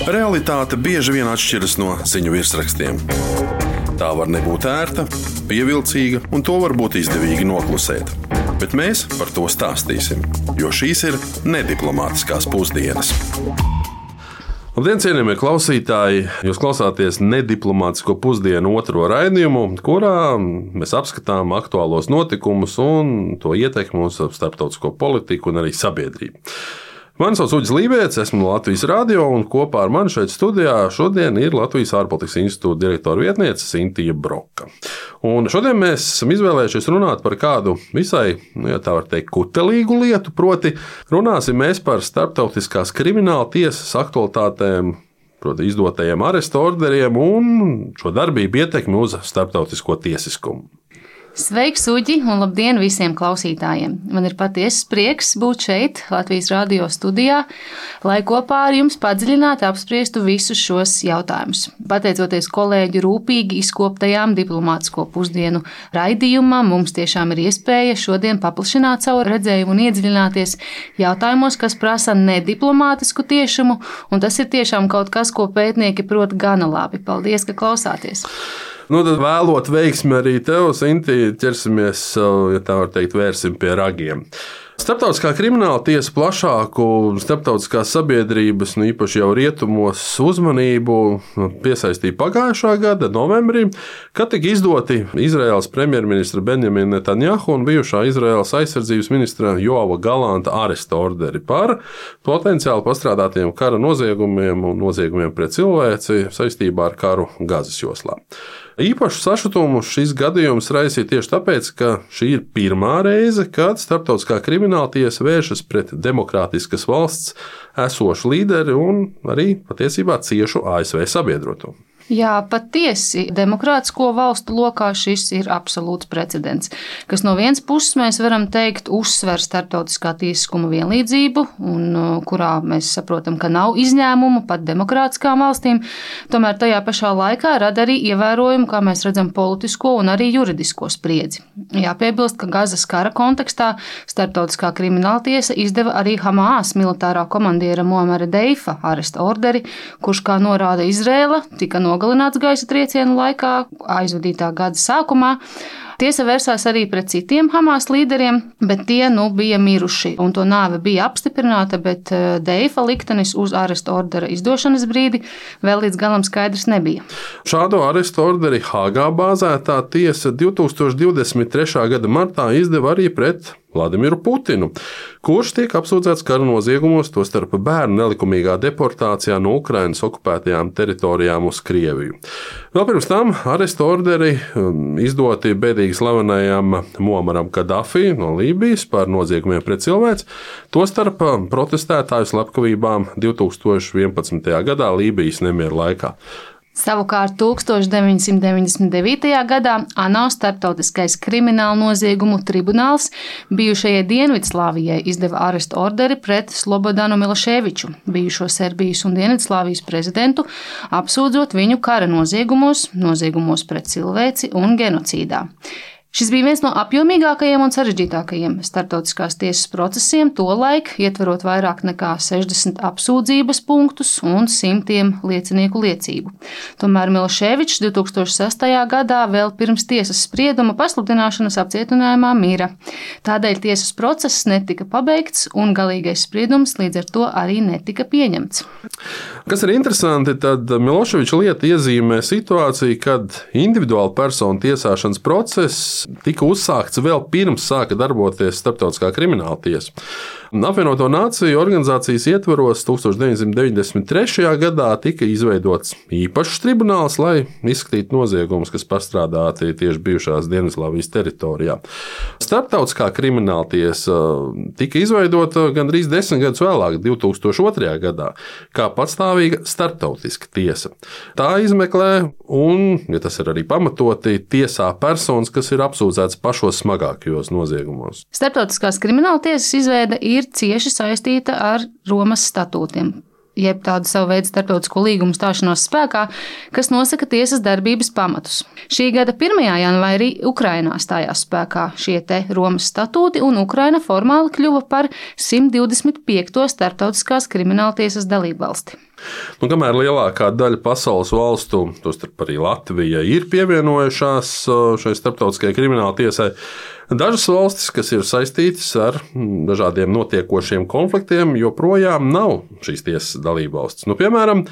Realitāte bieži vien atšķiras no ziņu virsrakstiem. Tā var nebūt ērta, pievilcīga, un to var būt izdevīgi noklusēt. Bet mēs par to stāstīsim, jo šīs ir nediplomātiskās pusdienas. Labdien, cienījamie klausītāji! Jūs klausāties nediplomātisko pusdienu otro raidījumu, kurā mēs apskatām aktuālos notikumus un to ietekmi uz starptautisko politiku un arī sabiedrību. Mani sauc Uģis Lībēts, esmu no Latvijas Radio, un kopā ar mani šeit studijā šodien ir Latvijas ārpolitikas institūta direktora vietniece Sintija Broka. Un šodien mēs esam izvēlējušies runāt par kādu visai, ja tā var teikt, kutelīgu lietu, proti runāsim mēs par starptautiskās krimināla tiesas aktualitātēm, proti izdotajiem arestu orderiem un šo darbību ietekmi uz starptautisko tiesiskumu. Sveiks, Uģi, un labdien visiem klausītājiem! Man ir patiesas prieks būt šeit, Latvijas Radio studijā, lai kopā ar jums padziļināti apspriestu visus šos jautājumus. Pateicoties kolēģu rūpīgi izkoptajām diplomātisko pusdienu raidījumam, mums tiešām ir iespēja šodien paplašināt savu redzējumu un iedziļināties jautājumos, kas prasa nediplomātisku tiešumu, un tas ir tiešām kaut kas, ko pētnieki prot gana labi. Paldies, ka klausāties! Tad vēlot veiksmi arī tev, Sinti, ķersimies, ja tā var teikt, vērsim pie ragiem. Starptautiskā krimināla tiesa plašāku starptautiskās sabiedrības, īpaši jau rietumos, uzmanību piesaistīja pagājušā gada novembrī, kad tika izdoti Izraēlas premjerministra Benjamina Netanjahu un bijušā Izraēlas aizsardzības ministra Joava Galanta aresta orderi par potenciāli pastrādātiem kara noziegumiem un noziegumiem pret cilvēci saistībā ar karu Gazas joslā. Īpašu sašutumu šis gadījums raisīja tieši tāpēc, ka šī ir pirmā reize, kad starptautiskā krimināltiesa vēršas pret demokrātiskas valsts esošu līderi un arī patiesībā ciešu ASV sabiedroto. Jā, patiesi, demokrātisko valstu lokā šis ir absolūts precedents, kas no vienas puses mēs varam teikt uzsver starptautiskā tiesiskuma vienlīdzību, un kurā mēs saprotam, ka nav izņēmumu pat demokrātiskām valstīm, tomēr tajā pašā laikā rada arī ievērojumu, kā mēs redzam, politisko un arī juridisko spriedzi. Jāpiebilst, ka Gazas kara kontekstā starptautiskā krimināltiesa izdeva arī Hamas militārā komandiera Muamara Deifa aresta orderi, kurš, kā norāda Izraela, tika nogalināts gaisa triecienu laikā, aizvadītā gada sākumā. Tiesa vērsās arī pret citiem Hamas līderiem, bet tie bija miruši, un to nāve bija apstiprināta, bet Deifa liktenis uz arestu ordera izdošanas brīdi vēl līdz galam skaidrs nebija. Šādu arestu orderi Hāgā bāzētā tiesa 2023. gada martā izdeva arī pret Vladimiru Putinu, kurš tiek apsūdzēts kara noziegumos, tostarp bērnu nelikumīgā deportācijā no Ukrainas okupētajām teritorijām uz Krieviju. Vēl pirms tam arestu orderi izdoti bēdīgi slavenajam Muamaram Kadafi no Lībijas par noziegumiem pret cilvēci, tostarp protestētāju slepkavībām 2011. gadā Lībijas nemieru laikā. Savukārt 1999. gadā ANO starptautiskais kriminālu noziegumu tribunāls bijušajai Dienvidslāvijai izdeva arestu orderi pret Slobodanu Miloševiču, bijušo Serbijas un Dienvidslāvijas prezidentu, apsūdzot viņu kara noziegumos pret cilvēci un genocīdā. Šis bija viens no apjomīgākajiem un sarežģītākajiem starptautiskās tiesas procesiem, tolaik ietverot vairāk nekā 60 apsūdzības punktus un simtiem liecinieku liecību. Tomēr Miloševičs 2006. gadā vēl pirms tiesas sprieduma pasludināšanas apcietinājumā mira. Tādēļ tiesas process netika pabeigts un galīgais spriedums līdz ar to arī netika pieņemts. Kas ir interesanti, tad Miloševiča lieta iezīmē situāciju, kad individuāla persona tiesāšanas process tika uzsākts vēl pirms sāka darboties starptautiskā krimināla tiesa. Apvienoto Nāciju organizācijas ietvaros 1993. gadā tika izveidots īpašs tribunāls, lai izskatītu noziegumus, kas pastrādāti tieši bijušās Dienvidslāvijas teritorijā. Starptautiskā krimināla tiesa tika izveidota gandrīz 10 gadus vēlāk, 2002. gadā, kā patstāvīga starptautiska tiesa. Tā izmeklē un, ja tas ir arī pamatoti, tiesā personas, kas ir apsūdzētas pašos smagākajos noziegumos. Starptautiskās krimināla tiesas izveide ir cieši saistīta ar Romas statūtiem, jeb tādu savu veidu starptautisko līgumu stāšanos spēkā, kas nosaka tiesas darbības pamatus. Šī gada 1. janvārī Ukrainā stājās spēkā šie te Romas statūti, un Ukraina formāli kļuva par 125. starptautiskās krimināltiesas dalībvalsti. Kamēr lielākā daļa pasaules valstu, tostarp arī Latvija, ir pievienojušās šai starptautiskajai krimināla tiesai, dažas valstis, kas ir saistītas ar dažādiem notiekošiem konfliktiem, joprojām nav šīs tiesas dalībvalstis. Piemēram,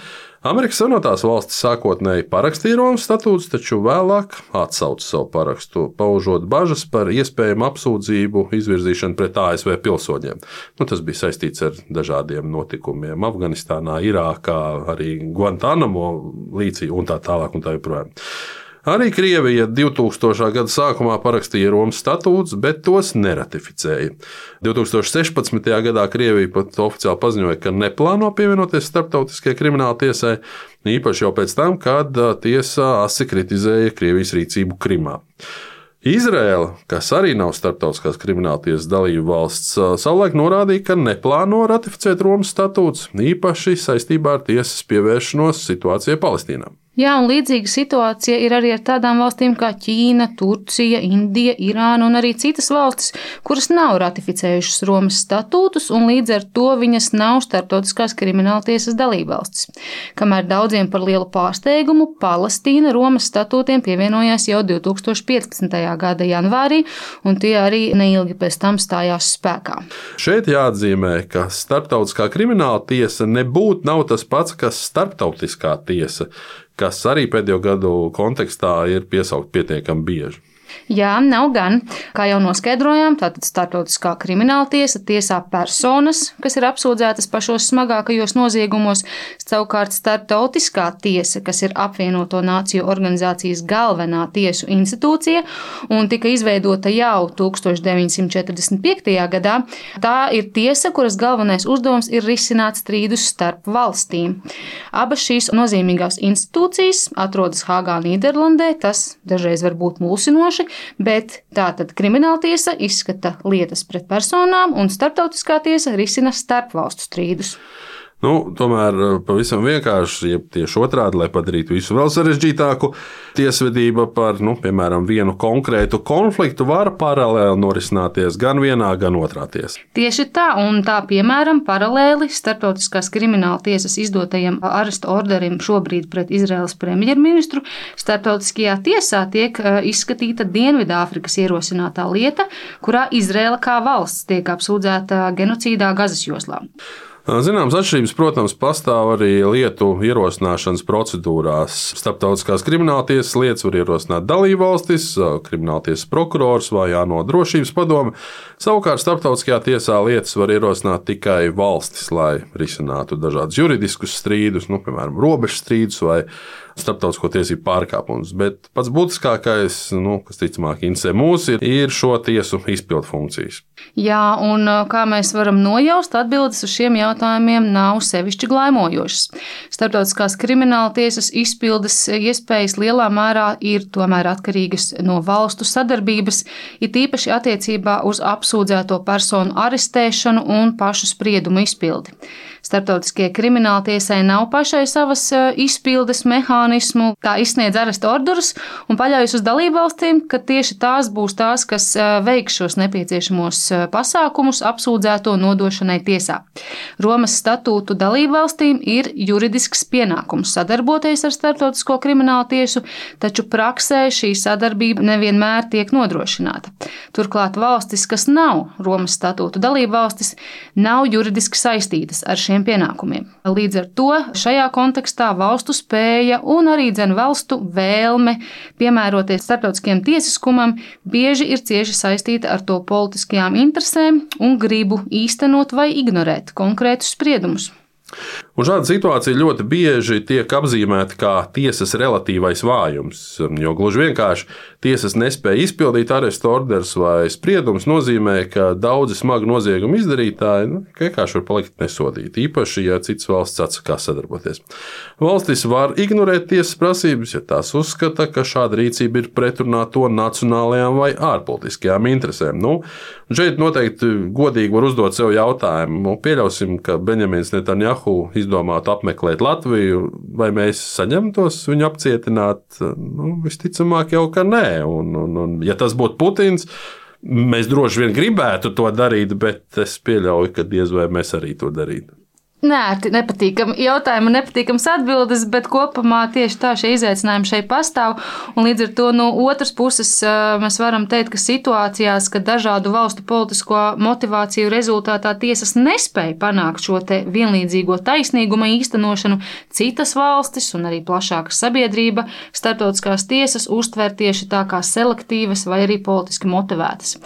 Amerikas Savienotās valstis sākotnēji parakstīja Romas statūtus, taču vēlāk atsauca savu parakstu, paužot bažas par iespējamu apsūdzību izvirzīšanu pret ASV pilsoņiem. Tas bija saistīts ar dažādiem notikumiem Afganistānā, Irākā, arī Guantanamo līcī un tā tālāk un tā joprojām. Arī Krievija 2000. gada sākumā parakstīja Romas statūtus, bet tos neratificēja. 2016. gadā Krievija pat oficiāli paziņoja, ka neplāno pievienoties starptautiskajai krimināla tiesai, īpaši jau pēc tam, kad tiesa asi kritizēja Krievijas rīcību Krimā. Izraēla, kas arī nav starptautiskās krimināltiesas dalība valsts, savulaik norādīja, ka neplāno ratificēt Romas statūtus, īpaši saistībā ar tiesas pievēršanos situācijai Palestīnā. Jā, un līdzīga situācija ir arī ar tādām valstīm kā Ķīna, Turcija, Indija, Irāna un arī citas valstis, kuras nav ratificējušas Romas statūtus, un līdz ar to viņas nav starptautiskās krimināltiesas dalībvalstis. Kamēr daudziem par lielu pārsteigumu, Palestīna Romas statūtiem pievienojās jau 2015. gada janvārī, un tie arī neilgi pēc tam stājās spēkā. Šeit jāatzīmē, ka starptautiskā krimināla tiesa nebūtu nav tas pats, kas starptautiskā tiesa, kas arī pēdējo gadu kontekstā ir piesaukt pietiekami bieži. Jā, nav gan. Kā jau noskaidrojām, tātad starptautiskā krimināla tiesa tiesā personas, kas ir apsūdzētas pašos smagākajos noziegumos, savukārt starptautiskā tiesa, kas ir apvienoto nāciju organizācijas galvenā tiesu institūcija un tika izveidota jau 1945. gadā, tā ir tiesa, kuras galvenais uzdevums ir risināt strīdus starp valstīm. Abas šīs nozīmīgās institūcijas atrodas Hāgā, Nīderlandē, tas dažreiz var būt mulsinoši, bet tātad krimināltiesa izskata lietas pret personām un starptautiskā tiesa risina starpvalstu strīdus. Tomēr pavisam vienkārši, ja tieši otrādi, lai padarītu visu vēl sarežģītāku, tiesvedība par, piemēram, vienu konkrētu konfliktu var paralēli norisināties gan vienā, gan otrā tiesā. Tieši tā, un tā, piemēram, paralēli starptautiskās krimināla tiesas izdotajam aresta orderim šobrīd pret Izraēlas premjerministru, starptautiskajā tiesā tiek izskatīta Dienvidāfrikas ierosinātā lieta, kurā Izraēla kā valsts tiek apsūdzēta genocīdā Gazas joslā. Zināmas atšķirības, protams, pastāv arī lietu ierosināšanas procedūrās. Starptautiskās krimināltiesas lietas var ierosināt dalībvalstis, krimināltiesas prokurors vai ANO drošības padome. Savukārt starptautiskajā tiesā lietas var ierosināt tikai valstis, lai risinātu dažādus juridiskus strīdus, piemēram, robežu strīdus vai starptautisko tiesību pārkāpumus. Bet pats būtiskākais, kas ticamāk interesē mūs, ir šo tiesu izpildu funkcijas. Jā, un kā mēs varam nojaust, atbildes uz šiem jautājumiem nav sevišķi glaimojošas. Starptautiskās krimināla tiesas izpildes iespējas lielā mērā ir tomēr atkarīgas no valstu sadarbības, it īpaši attiecībā uz apsūdzēto personu arestēšanu un pašu spriedumu izpildi. Starptautiskajai krimināltiesai nav pašai savas izpildes mehānismu, tā izsniedz aresta orderus un paļaujas uz dalībvalstīm, ka tieši tās būs tās, kas veiks šos nepieciešamos pasākumus apsūdzēto nodošanai tiesā. Romas statūtu dalībvalstīm ir juridisks pienākums sadarboties ar starptautisko kriminālu tiesu, taču praksē šī sadarbība nevienmēr tiek nodrošināta. Turklāt valstis, kas nav Romas statūtu dalībvalstis, nav juridiski saistītas ar šiem pienākumiem. Līdz ar to šajā kontekstā valstu spēja un arī valstu vēlme piemēroties starptautiskajam tiesiskumam bieži ir cieši saistīta ar to politiskajām interesēm un gribu īstenot vai ignorēt konkrētus spriedumus. Un šāda situācija ļoti bieži tiek apzīmēta kā tiesas relatīvais vājums, jo gluži vienkārši tiesas nespēja izpildīt arestu orderus vai spriedumus nozīmē, ka daudzi smagi noziegumu izdarītāji vienkārši var palikt nesodīti, īpaši, ja citas valsts atsakās sadarboties. Valstis var ignorēt tiesas prasības, ja tās uzskata, ka šāda rīcība ir pretrunā to nacionālajām vai ārpolitiskajām interesēm. Šeit noteikti godīgi var uzdot sev jautājumu. Pieļausim, ka Benjamins Netanjahu izdomātu apmeklēt Latviju, vai mēs saņemtos viņu apcietināt? Visticamāk jau, ka nē. Un, ja tas būtu Putins, mēs droši vien gribētu to darīt, bet es pieļauju, ka diez vai mēs arī to darītu. Nērti, nepatīkami jautājumi, nepatīkams atbildes, bet kopumā tieši tā šie izaicinājumi šeit pastāv. Un līdz ar to no otras puses mēs varam teikt, ka situācijās, kad dažādu valstu politisko motivāciju rezultātā tiesas nespēja panākt šo te vienlīdzīgo taisnīguma īstenošanu, citas valstis un arī plašāka sabiedrība starptautiskās tiesas uztver tieši tā kā selektīvas vai arī politiski motivētas.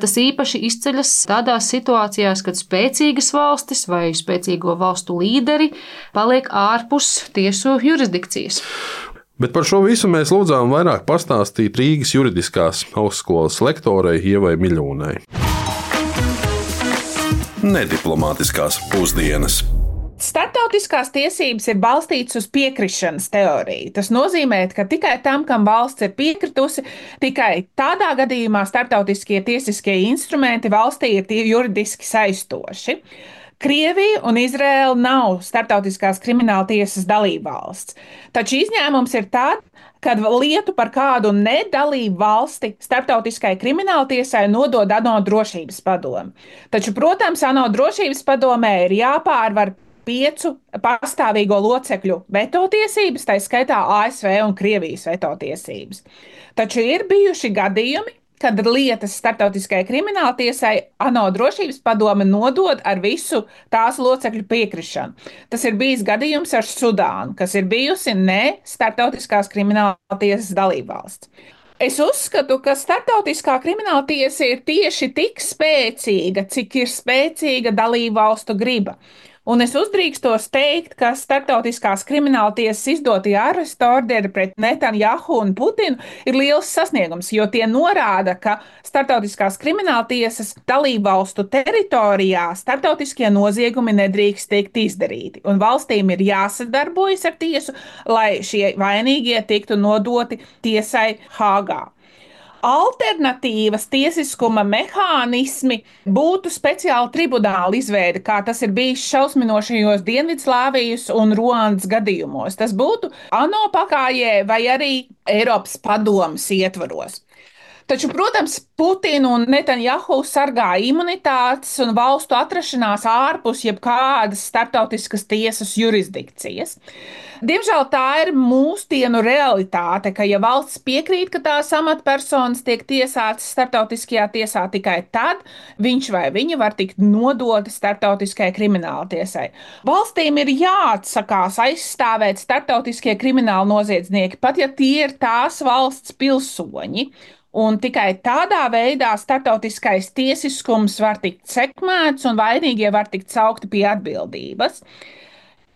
Tas īpaši izceļas tādās situācijās, kad spēcīgas valstis vai spēcīgo valstu līderi paliek ārpus tiesu jurisdikcijas. Bet par šo visu mēs lūdzām vairāk pastāstīt Rīgas juridiskās augstskolas lektorei Ievai Miļūnai. Nediplomātiskās pusdienas. Startautiskās tiesības ir balstītas uz piekrišanas teoriju. Tas nozīmē, ka tikai tam, kam valsts ir piekritusi, tikai tādā gadījumā startautiskie tiesiskie instrumenti valstī ir juridiski saistoši. Krievija un Izraēla nav starptautiskās krimināla tiesas dalībvalsts. Taču izņēmums ir tāds, kad lietu par kādu nedalību valsti starptautiskai krimināltiesai nodod ANO drošības padome. Taču, protams, ANO drošības padomē ir jāpārvar 5 pastāvīgo locekļu veto tiesības, tā skaitā ASV un Krievijas veto tiesības. Taču ir bijuši gadījumi, kad lietas starptautiskajai krimināltiesai ANO drošības padome nodod ar visu tās locekļu piekrišanu. Tas ir bijis gadījums ar Sudānu, kas ir bijusi ne starptautiskās krimināltiesas dalībvalsts. Es uzskatu, ka starptautiskā krimināltiesa ir tieši tik spēcīga, cik ir spēcīga dalībvalstu griba. Un es uzdrīkstos teikt, ka starptautiskās krimināltiesas izdotie arestu orderi pret Netanjahu un Putinu ir liels sasniegums, jo tie norāda, ka starptautiskās krimināltiesas dalībvalstu teritorijā starptautiskie noziegumi nedrīkst tikt izdarīti. Un valstīm ir jāsadarbojas ar tiesu, lai šie vainīgie tiktu nodoti tiesai Hāgā. Alternatīvas tiesiskuma mehānismi būtu speciāla tribunāla izveide, kā tas ir bijis šausminošajos Dienvidslāvijas un Ruandas gadījumos. Tas būtu ANO pakājē vai arī Eiropas padomes ietvaros. Taču, protams, Putinu un Netanjahu sargā imunitātes un valstu atrašanās ārpus jebkādas starptautiskas tiesas jurisdikcijas. Diemžēl tā ir mūsdienu realitāte, ka ja valsts piekrīt, ka tās amatpersonas tiek tiesātas starptautiskajā tiesā tikai tad, viņš vai viņa var tikt nodoti starptautiskajai krimināltiesai. Valstīm ir jāatsakās aizstāvēt starptautiskie krimināli noziedznieki, pat ja tie ir tās valsts pilsoņi. Un tikai tādā veidā starptautiskais tiesiskums var tikt sekmēts un vainīgie var tikt saukti pie atbildības.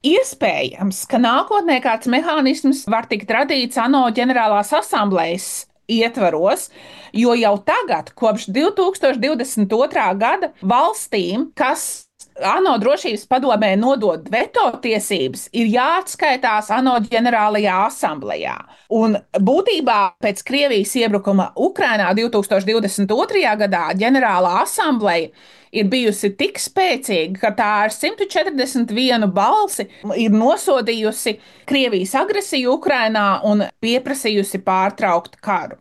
Iespējams, ka nākotnē kāds mehānisms var tikt radīts ANO ģenerālās asamblejas ietvaros, jo jau tagad, kopš 2022. gada, valstīm, kas ANO drošības padomē nodod veto tiesības, ir jāatskaitās ANO ģenerālajā asamblejā. Un būtībā pēc Krievijas iebrukuma Ukrainā 2022. gadā ģenerālā asambleja ir bijusi tik spēcīga, ka tā ar 141 balsi ir nosodījusi Krievijas agresiju Ukrainā un pieprasījusi pārtraukt karu.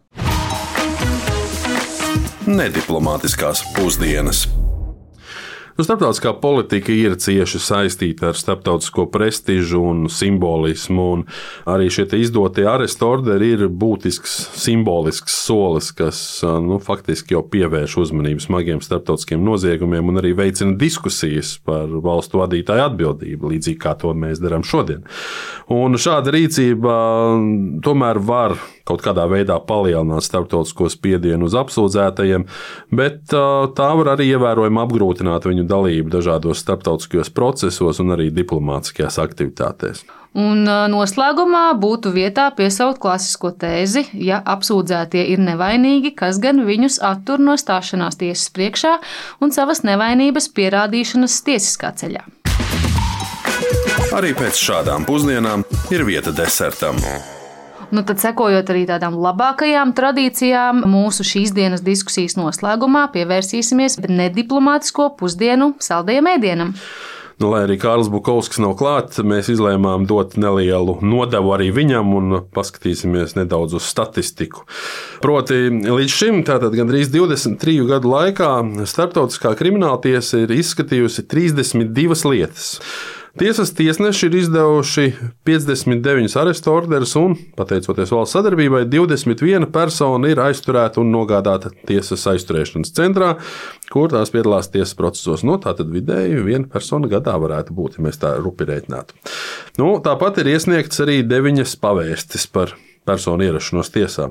Nediplomātiskās pusdienas. Starptautiskā politika ir cieši saistīta ar starptautisko prestižu un simbolismu, un arī šie izdotie arestu orderi ir būtisks simbolisks solis, kas faktiski jau pievērš uzmanību smagiem starptautiskiem noziegumiem un arī veicina diskusijas par valstu vadītāju atbildību, līdzīgi kā to mēs darām šodien. Un šāda rīcība tomēr var kaut kādā veidā palielināt starptautisko spiedienu uz apsūdzētajiem, bet tā var arī ievērojami apgrūtināt viņu dalību dažādos starptautiskajos procesos un arī diplomātiskajās aktivitātēs. Un noslēgumā būtu vietā piesaukt klasisko tēzi, ja apsūdzētie ir nevainīgi, kas gan viņus attur no stāšanās tiesas priekšā un savas nevainības pierādīšanas tiesiskā ceļā. Arī pēc šādām pusdienām ir vieta desertam. Tad, sekojot arī tādām labākajām tradīcijām, mūsu šīs dienas diskusijas noslēgumā pievērsīsimies nediplomātisko pusdienu saldajam ēdienam. Lai arī Kārlis Bukovskis nav klāt, mēs izlēmām dot nelielu nodevu arī viņam un paskatīsimies nedaudz uz statistiku. Proti, līdz šim, tātad gandrīz 23 gadu laikā, Starptautiskā krimināltiesa ir izskatījusi 32 lietas. Tiesas tiesneši ir izdevuši 59 arestu orderus un, pateicoties valsts sadarbībai, 21 persona ir aizturēta un nogādāta tiesas aizturēšanas centrā, kur tās piedalās tiesas procesos. Tātad vidēji viena persona gadā varētu būt, ja mēs tā rupi rēķinātu. Tāpat ir iesniegts arī 9 pavēstis par personu ierašanos tiesā.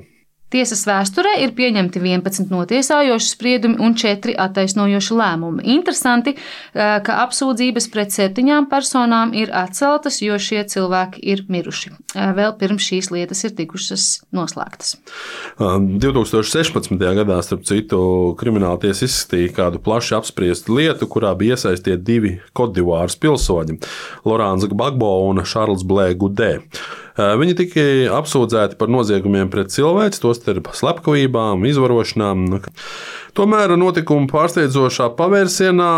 Tiesas vēsturē ir pieņemti 11 notiesājoši spriedumi un 4 attaisnojoši lēmumi. Interesanti, ka apsūdzības pret 7 personām ir atceltas, jo šie cilvēki ir miruši. Vēl pirms šīs lietas ir tikušas noslēgtas. 2016. gadā, starp citu, krimināltiesa izskatīja kādu plaši apspriestu lietu, kurā bija iesaistīti 2 Kodivāras pilsoņi – Lorāns Gbagbo un Šarls Blē Gudē. Viņi tika apsūdzēti par noziegumiem pret cilvēci, tostarp slepkavībām, izvarošanām. Tomēr notikuma pārsteidzošā pavērsienā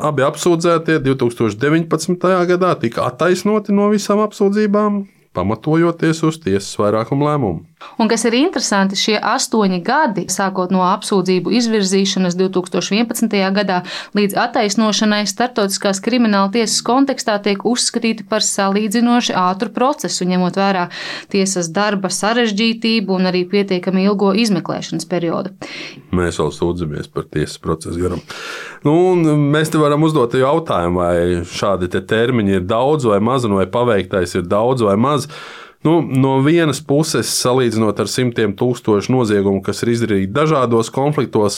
abi apsūdzētie 2019. gadā tika attaisnoti no visām apsūdzībām, pamatojoties uz tiesas vairākumu lēmumu. Un kas ir interesanti, šie 8 gadi, sākot no apsūdzību izvirzīšanas 2011. gadā līdz attaisnošanai starptautiskās krimināla tiesas kontekstā, tiek uzskatīti par salīdzinoši ātru procesu, ņemot vērā tiesas darba sarežģītību un arī pietiekami ilgo izmeklēšanas periodu. Mēs vēl sūdzamies par tiesas procesu garam. Mēs te varam uzdot jautājumu, vai šādi termiņi ir daudz vai maz, vai paveiktais ir daudz vai maz. No vienas puses, salīdzinot ar simtiem tūkstošu noziegumu, kas ir izdarīti dažādos konfliktos,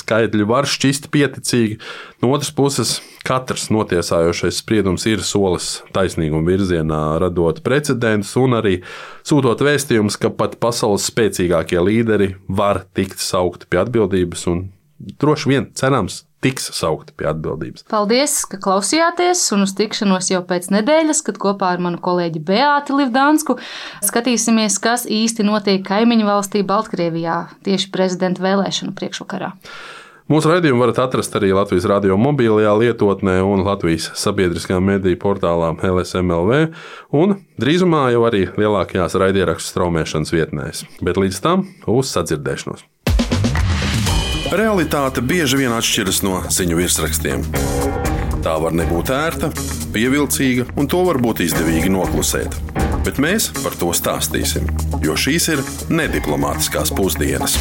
skaitļi var šķist pieticīgi. No otras puses, katrs notiesājošais spriedums ir solis taisnīguma virzienā, radot precedentus un arī sūtot vēstījumus, ka pat pasaules spēcīgākie līderi var tikt saukti pie atbildības un droši vien cerams tiks saukti pie atbildības. Paldies, ka klausījāties, un uz tikšanos jau pēc nedēļas, kad kopā ar manu kolēģi Beāti Livdansku skatīsimies, kas īsti notiek kaimiņu valstī Baltkrievijā tieši prezidenta vēlēšanu priekšvakarā. Mūsu raidījumu varat atrast arī Latvijas radio mobilajā lietotnē un Latvijas sabiedriskā mediju portālā LSM.LV un drīzumā jau arī lielākajās raidierakstu straumēšanas vietnēs. Bet līdz tam uz sadzirdēšanos. Realitāte bieži vien atšķiras no ziņu virsrakstiem. Tā var nebūt ērta, pievilcīga, un to var būt izdevīgi noklusēt. Bet mēs par to stāstīsim, jo šīs ir nediplomātiskās pusdienas.